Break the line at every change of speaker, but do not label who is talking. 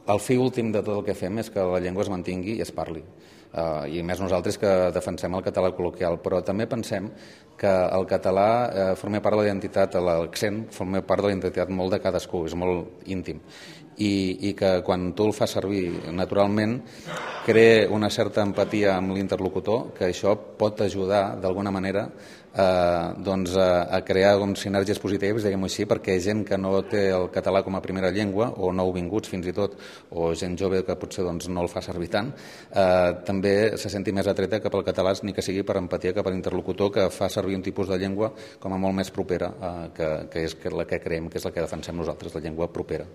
El fi últim de tot el que fem és que la llengua es mantingui i es parli. I més nosaltres que defensem el català col·loquial, però també pensem que el català forma part de la identitat, l'accent forma part de la identitat molt de cadascú, és molt íntim. I que quan tu el fas servir naturalment crea una certa empatia amb l'interlocutor, que això pot ajudar d'alguna manera a crear sinergies positives, diguem-ho així, perquè gent que no té el català com a primera llengua, o nouvinguts fins i tot, o gent jove que potser no el fa servir tant, també se senti més atreta cap al català, ni que sigui per empatia cap a l'interlocutor, que fa servir un tipus de llengua com a molt més propera, que és la que creiem que és la que defensem nosaltres, la llengua propera.